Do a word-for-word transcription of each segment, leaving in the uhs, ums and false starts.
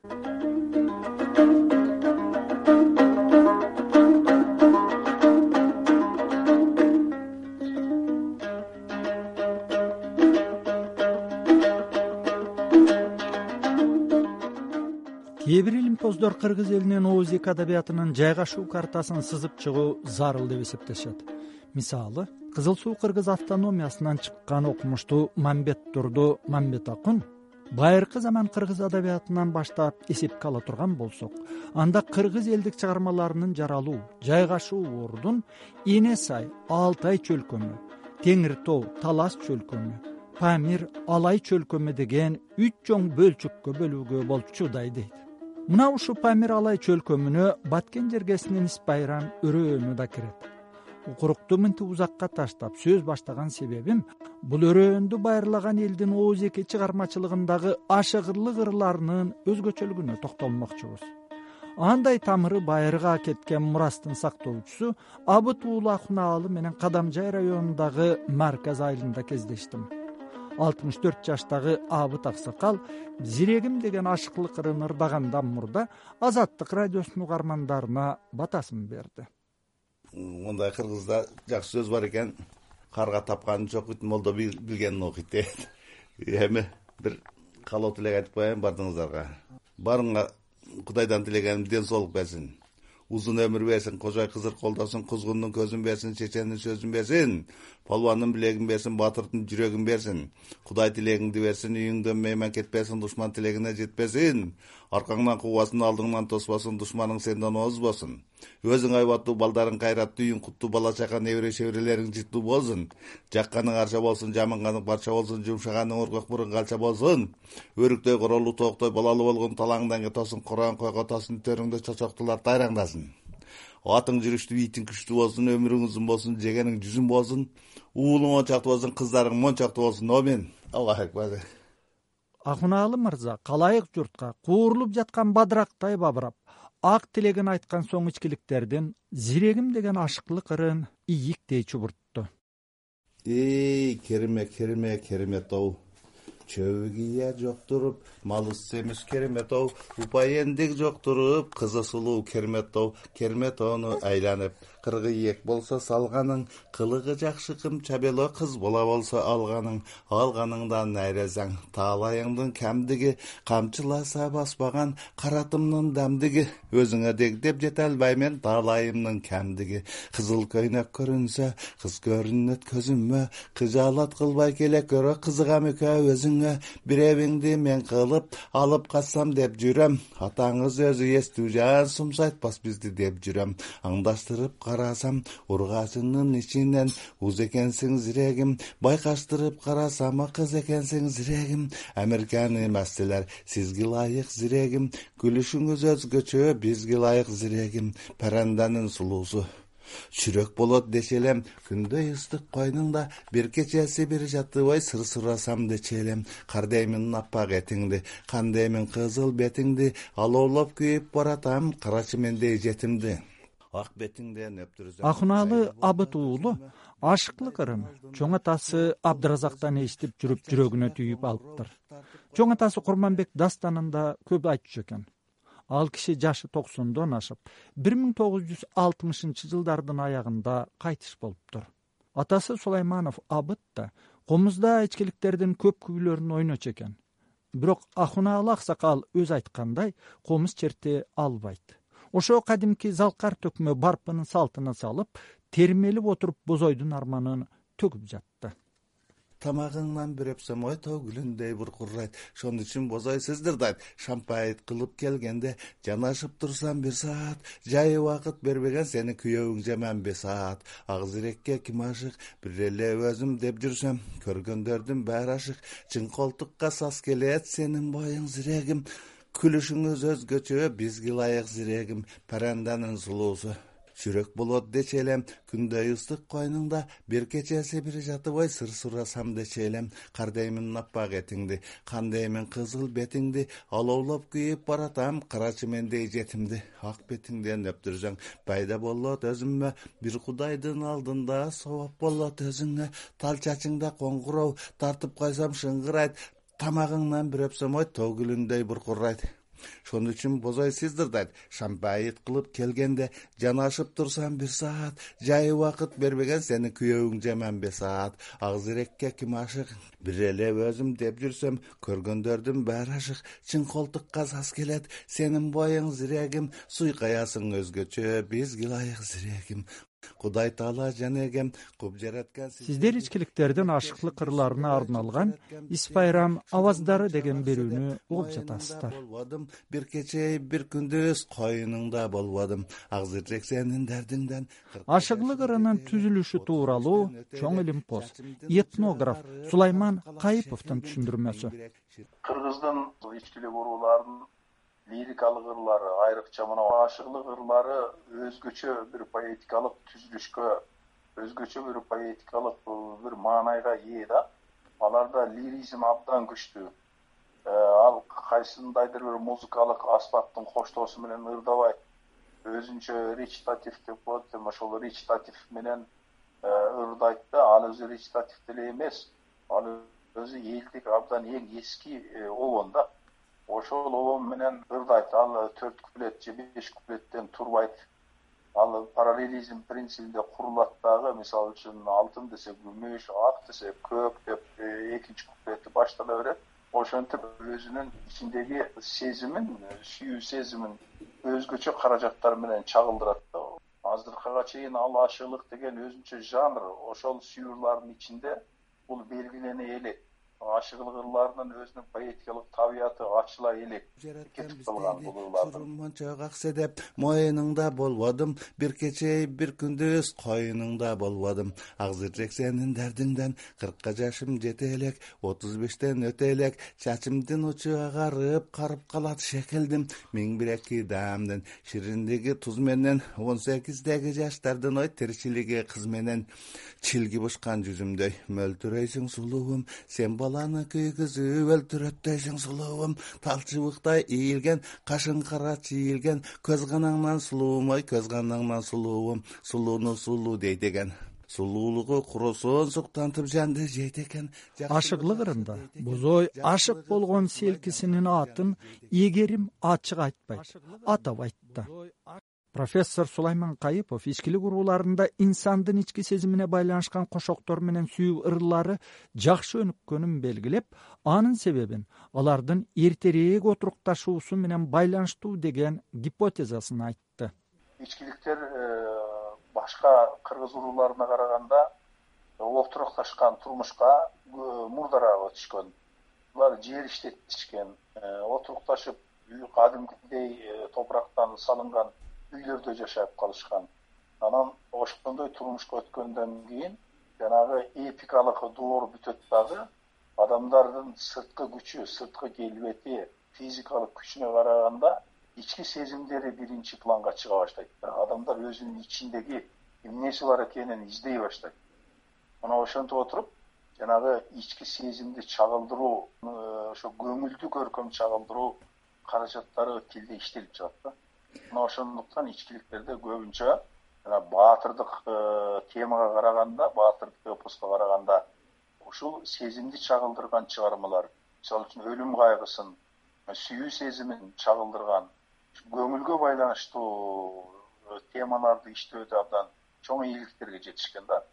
кээ бир илимпоздор кыргыз элинин ооз эки адабиятынын жайгашуу картасын сызып чыгуу зарыл деп эсептешет. Мисалы, Кызыл Суу кыргыз автономиясынан чыккан окумуштуу Мамбет Турду Мамбет Акун байыркы заман кыргыз адабиятынан баштап эсепке ала турган болсок, анда кыргыз элдик чыгармаларынын жаралуу, жайгашуу ордун Эне Сай, Алтай чөлкөмү, Теңир Тоо, Талас чөлкөмү, Памир, Алай чөлкөмү деген үч чоң бөлчүккө бөлүүгө болчудай дейт. Мына ушу Памир Алай чөлкөмүнө Баткен жергесинин Испайран өрөөнү да кирет. Укурукту мынтип узакка таштап сөз баштаган себебим бул өрөөндү байырлаган элдин ооз эки чыгармачылыгындагы ашыгырлык ырларынын өзгөчөлүгүнө токтолмокчубуз. Андай тамыры байырга кеткен мурастын сактоочусу Абыт уулу Акунаалы менен Кадамжай районундагы Марказ айылында кездештим. алтымыш төрт жаштагы Абыт аксакал зирегим деген ашыклык ырын ырдагандан мурда Азаттык радиосунун угармандарына батасын берди. Мындай кыргызда жакшы сөз бар экен. Карга тапканын чокут, молдо билгенин окуйт дейт. Эми бир каалоо тилек айтып коеюн бардыгыңыздарга. Барыңа Кудайдан тилегеним ден соолук берсин. Узун өмүр берсин, кожой кызыр колдосун, кузгундун көзүн берсин, чечендин сөзүн берсин, палвандын билегин берсин, батырдын жүрөгүн берсин. Кудай тилегиңди берсин, үйүңдөн мейман кетпесин, душман тилегине жетпесин. Аркаңдан куугасын, алдыңдан тоспосун, душманың сенден озбосун. Өзүң айбаттуу, балдарың кайраттуу, үйүң куттуу, бала чака, небере шеберелериң жыттуу болсун. Жакканың арча болсун, жаманганың парча болсун, жумшаганың оргок мурун калча болсун. Өрүктөй королуу тооктой балалы болгон талаңдан кетосун, корон койго тосын, төрүңдө чочоктулар тайраңдасын. Атың жүрүштүү, итиң күчтүү болсун, өмүрүң узун болсун, жегениң жүзүн болсун, уулуң ончактуу болсун, кыздарың мончактуу болсун. Амин. Аллаху акбар. Акунаалы мырза калайык журтка куурулуп жаткан бадырактай бабырап, ак тилегин айткан соң ичкиликтердин зирегим деген ашыклык ырын ийиктей чубуртту. Эй, кереме, кереме, керемет-оу. Чөбү кия жоктуруп, малыс семиш керемет-оу. Упайендик жоктуруп, кызы сулуу керемет-оу. Керемет-оуну айланып, кыргы ийек болсо салганың, кылыгы жакшы кым чабело кыз бола болсо алганың, алганыңдан найрезаң, таалайыңдын кемдиги, камчыласа баспаган каратымдын дамдиги, өзүңө дег деп жете албаймен таалайымдын кемдиги, кызыл көйнөк көрүнсө, кыз көрүнөт көзүмө, кыжаалат кылбай келе көрө кызыгам экөө өзүңө, биребиңди мен кылып алып катсам деп жүрөм, атаңыз өзү эстүү жан сумсайтпас бизди деп жүрөм, аңдаштырып карасам, ургачынын ичинен уз экенсиң зирегим, байкаштырып карасам, кыз экенсиң зирегим, Американы эместилер, сизге лайык зирегим, күлүшүңүз өзгөчө, бизге лайык зирегим, паранданын сулуусу. Чүрөк болот дешелем, күндөй ыстык койнуңда, бир кечеси бир жатыбай сыр сурасам дечелем, кардеймин аппак этиңди, кандеймин кызыл бетиңди, алоолоп күйүп баратам, карачы мендей жетимди. Ак бетиңден өптүрүзөм. Акунаалы Абыт уулу ашыклык ырын чоң атасы Абдыразактан эстип жүрүп жүрөгүнө түйүп алыптыр. Чоң атасы Курманбек дастанында көп айтчу экен. Ал киши жашы токсондон ашып, бир миң тогуз жүз алтымышынчы жылдардын аягында кайтыш болуптур. Атасы Сулайманов Абыт да комузда ичкиликтердин көп күйлөрүн ойночу экен. Бирок Акунаалы аксакал өз айткандай, комуз черте албайт. Ошо кадимки залкар төкмө барпынын салтына салып, термелип отуруп бозойдун арманын төгүп жатты. Тамагыңнан бир өпсөм ой тоо гүлүндөй буркурайт, шону үчүн бозой сыздырдайт, шампайт кылып келгенде, жанашып турсам бир саат, жай убакыт бербеген сени күйөөүң жаман бе саат, ак зирекке ким ашык, бир эле өзүм деп жүрсөм, көргөндөрдүн баары ашык, чың колтукка сас келет сенин боюң зирегим, күлүшүңүз өзгөчө, бизге лайык зирегим, паранданын сулуусу. Чүрөк болот дечелем, күндөй ыстык койнуңда, бир кечеси бир жатып ой сыр сурасам дечелем, кардеймин аппак этиңди, кандеймин кызыл бетиңди, алоолоп күйүп баратам, карачы мендей жетимди, ак бетиңден өптүрсөң, пайда болот өзүмө, бир кудайдын алдында сооп болот өзүңө, тал чачыңда коңгуроо, тартып койсом шыңгырайт, тамагыңнан бир өпсөм ой тоо гүлүндөй буркурайт. Шону үчүн бозой сыздырдайт. Шампайыт кылып келгенде жанашып турсам бир саат, жай убакыт бербеген сени күйөөүң жаман бесаат. Агзирекке ким ашык? Бир эле өзүм деп жүрсөм, көргөндөрдүн баары ашык. Чын колтукка саз келет, сенин боюң зирегим, суйкаясың өзгөчө, бизге ылайык зирегим. Кудай Таала жанегем куп жараткан. Сиздер ичкиликтердин ашыклык ырларына арналган Ис Байрам аваздары деген берүүнү угуп жатасыздар. Бир кече бир күндүз койнуңда болбодум, агзыржек сенин дардыңдан. Ашыклык ырынын түзүлүшү тууралуу чоң илим пост. Этнограф Сулайман Кайыповдун түшүндүрмөсү. Кыргыздын ичкилик урууларынын лирикалык ырлары, айрыкча мына ашыклык ырлары өзгөчө бир поэтикалык түзүлүшкө, өзгөчө бир поэтикалык бир маанайга ээ да. Аларда лиризм абдан күчтүү. Ал кайсындайдыр бир музыкалык аспаптын коштоосу менен ырдабайт. Өзүнчө речитатив деп коет, ошол речитатив менен ырдайт да. Ал өзү речитатив деле эмес. Ал өзү элдик абдан эң эски обон да. Ошол обон менен ырдайт. Ал төрт куплет же беш куплеттен турбайт. Ал параллелизм принцибинде курулат дагы. Мисалы үчүн алтын десе күмүш, ак десе көк деп экинчи куплети баштала берет. Ошентип өзүнүн ичиндеги сезимин, сүйүү сезимин өзгөчө каражаттар менен чагылдырат да. Азыркыга чейин ал ашыклык деген өзүнчө жанр, ошол сүйүүрлардын ичинде бул белгилене элек. Ашыклык ырларынын өзүнүн поэтикалык табияты ачыла элек кетип калган бул ырлардын. Мончок аксе деп моюнуңда болбодум, бир кече бир күндүз койнуңда болбодум. Агзыржек сенин дардыңдан, кыркка жашым жете элек, отуз бештен өтө элек, чачымдын учу агарып, карып калат шекелдим. Миң бир эки даамдын шириндиги туз менен, он сегиздеги жаштардын ой тирчилиги кыз менен, чилги бушкан жүзүмдөй мөлтүрөйсүң сулуум, сен баланы күйгүзүп өлтүрөттөйсүң сулуум, талчыбыктай ийилген, кашың кара чийилген, көз канаңнан сулуум, ой көз канаңнан сулуум, сулууну сулуу дейт экен. Сулуулугу куросоон суктантып жанды жейт экен. Ашыклык ырында бозой ашык болгон селкисинин атын эгерим ачык айтпайт, атабайт да. Профессор Сулайман Кайыпов ичкилик урууларында инсандын ички сезимине байланышкан кошоктор менен сүйүү ырлары жакшы өнүккөнүн белгилеп, анын себебин алардын эртерээк отурукташуусу менен байланыштуу деген гипотезасын айтты. Ичкиликтер башка кыргыз урууларына караганда отурукташкан турмушка мурдараак өтүшкөн. Булар жер иштетишкен, отурукташып кадимкидей топурактан салынган үйлөрдө жашап калышкан. Анан ошондой турмушка өткөндөн кийин жанагы эпикалык доор бүтөт дагы. Адамдардын сырткы күчү, сырткы келбети, физикалык күчүнө караганда ички сезимдери биринчи планга чыга баштайт. Адамдар өзүнүн ичиндеги эмнеси бар экенин издей баштайт. Мына ошентип отуруп, жанагы ички сезимди чагылдыруу, ошо көңүлдү көркөм чагылдыруу каражаттары тилде иштелип жатат да. Мына ошондуктан ичкиликтерде көбүнчө жана баатырдык темага караганда, баатырдык эпоска караганда ушул сезимди чагылдырган чыгармалар, мисалы үчүн өлүм кайгысын, сүйүү сезимин чагылдырган, көңүлгө байланыштуу темаларды иштөөдө абдан чоң ийгиликтерге жетишкен да.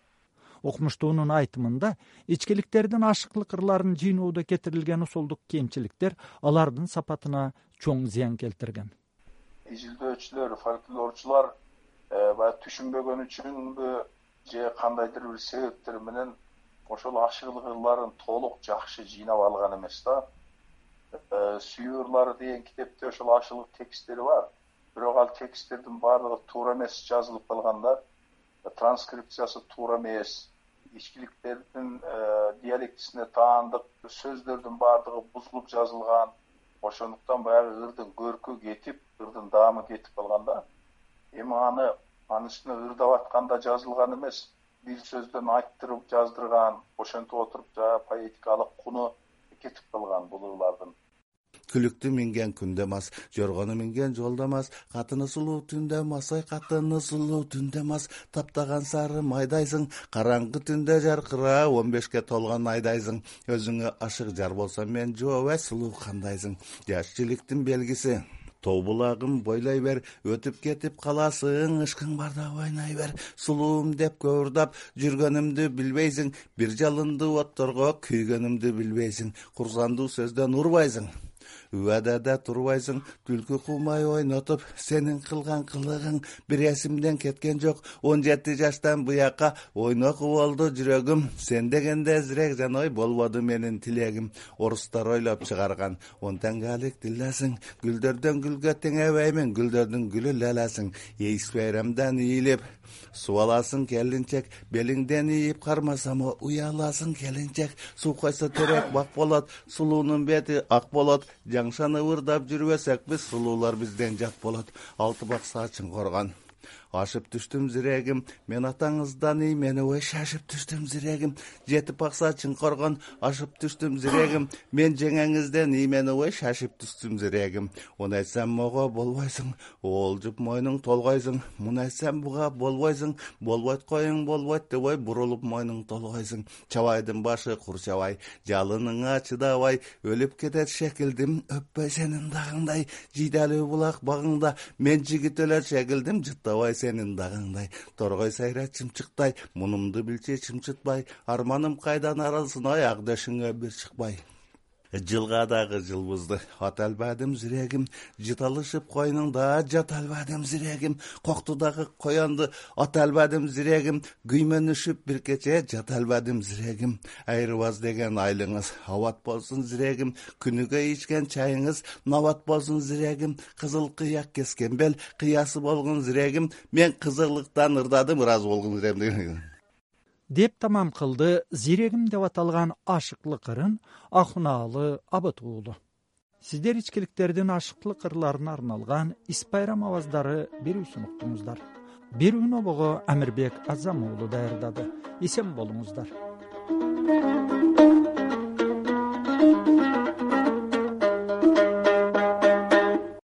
Окумуштуунун айтымында, ичкиликтердин ашыклык ырларын жыйноодо кетирилген усулдук кемчиликтер алардын сапатына чоң зыян келтирген. Изилдөөчүлөр, фольклорчулар баягы түшүнбөгөн үчүнбү же кандайдыр бир себептер менен ошол ашыклык ырларын толук жакшы жыйнап алган эмес да. Сүйүү ырлары деген китепте ошол ашыклык тексттери бар. Бирок ал тексттердин баардыгы туура эмес жазылып калган да. Транскрипциясы туура эмес. Ичкиликтердин диалектисине таандык сөздөрдүн баардыгы бузулуп жазылган. Ошондуктан баягы ырдын көркү кетип, ырдын даамы кетип калган да. Эми аны анын үстүнө ырдап атканда жазылган эмес, бир сөздөн айттырып жаздырган, ошентип отуруп жана поэтикалык куну кетип калган бул ырлардын. күлүктү минген күндө мас, жоргону минген жолдо мас, катыны сулуу түндө мас, ой катыны сулуу түндө мас, таптаган сары майдайсың, караңгы түндө жаркыра, он бешке толгон айдайсың, өзүңө ашык жар болсо мен жообай сулуу кандайсың, жаш жиликтин белгиси. Тоо булагым бойлой бер, өтүп кетип каласың, ышкың барда ойной бер, сулуум деп көурдап жүргөнүмдү билбейсиң, бир жалынды отторго күйгөнүмдү билбейсиң, курсандуу сөздөн урбайсың, убадада турбайсың, түлкү кумай ойнотуп, сенин кылган кылыгың бир эсимден кеткен жок, он жети жаштан буяка ойноку болду жүрөгүм, сен дегенде зирек жаной болбоду менин тилегим, орустар ойлоп чыгарган он теңгелик тиллесиң, гүлдөрдөн гүлгө теңебеймин, гүлдөрдүн гүлү лелесиң, эйс байрамдан ийилип суу аласың келинчек, белиңден ийип кармасам уяласың келинчек, суу койсо терек бак болот, сулуунун бети ак болот, жаңшаны ырдап жүрбөсөк биз сулуулар бизден жат болот, алты бакса чыңкоргон ашып түштүм зирегим, мен атаңыздан иймени ой шашып түштүм зирегим, жетип бакса чыңкоргон ашып түштүм зирегим, мен жеңеңизден иймени ой шашып түштүм зирегим, уну айтсам мого болбойсуң, оолжуп мойнуң толгойсуң, муну айтсам буга болбойсуң, болбойт коюң болбойт деп ой бурулуп мойнуң толгойсуң, чабайдын башы кур чабай, жалыныңа чыдабай, өлүп кетет шекилдим, өппөй сенин дагыңдай, жийдалуу булак багыңда, мен жигит өлөт шекилдим, жыттабай сенин дагыңдай, торгой сайра чымчыктай, мунумду билчи чымчытпай, арманым кайдан арылсын, ой ак дөшүңө бир чыкпай. Жылга дагы жылбызды ата албадым зирегим, жыт алышып койнуңда жата албадым зирегим, кокту дагы коянды ата албадым зирегим, күймөнүшүп бир кече жата албадым зирегим, айрыбас деген айлыңыз абат болсун зирегим, күнүгө ичкен чайыңыз набат болсун зирегим, кызыл кыяк кескен бел кыясы болгон зирегим, мен кызырлыктан ырдадым, ыраазы болгон зирегим деп тамам кылды «Зирегим» деп аталган ашыклык ырын Акунаалы Абыт уулу. Сиздер ичкиликтердин ашыклык ырларына арналган Ис байрам абаздары берүүсүн уктуңуздар. Берүүнү обого Амирбек Азам уулу даярдады. Эсен болуңуздар.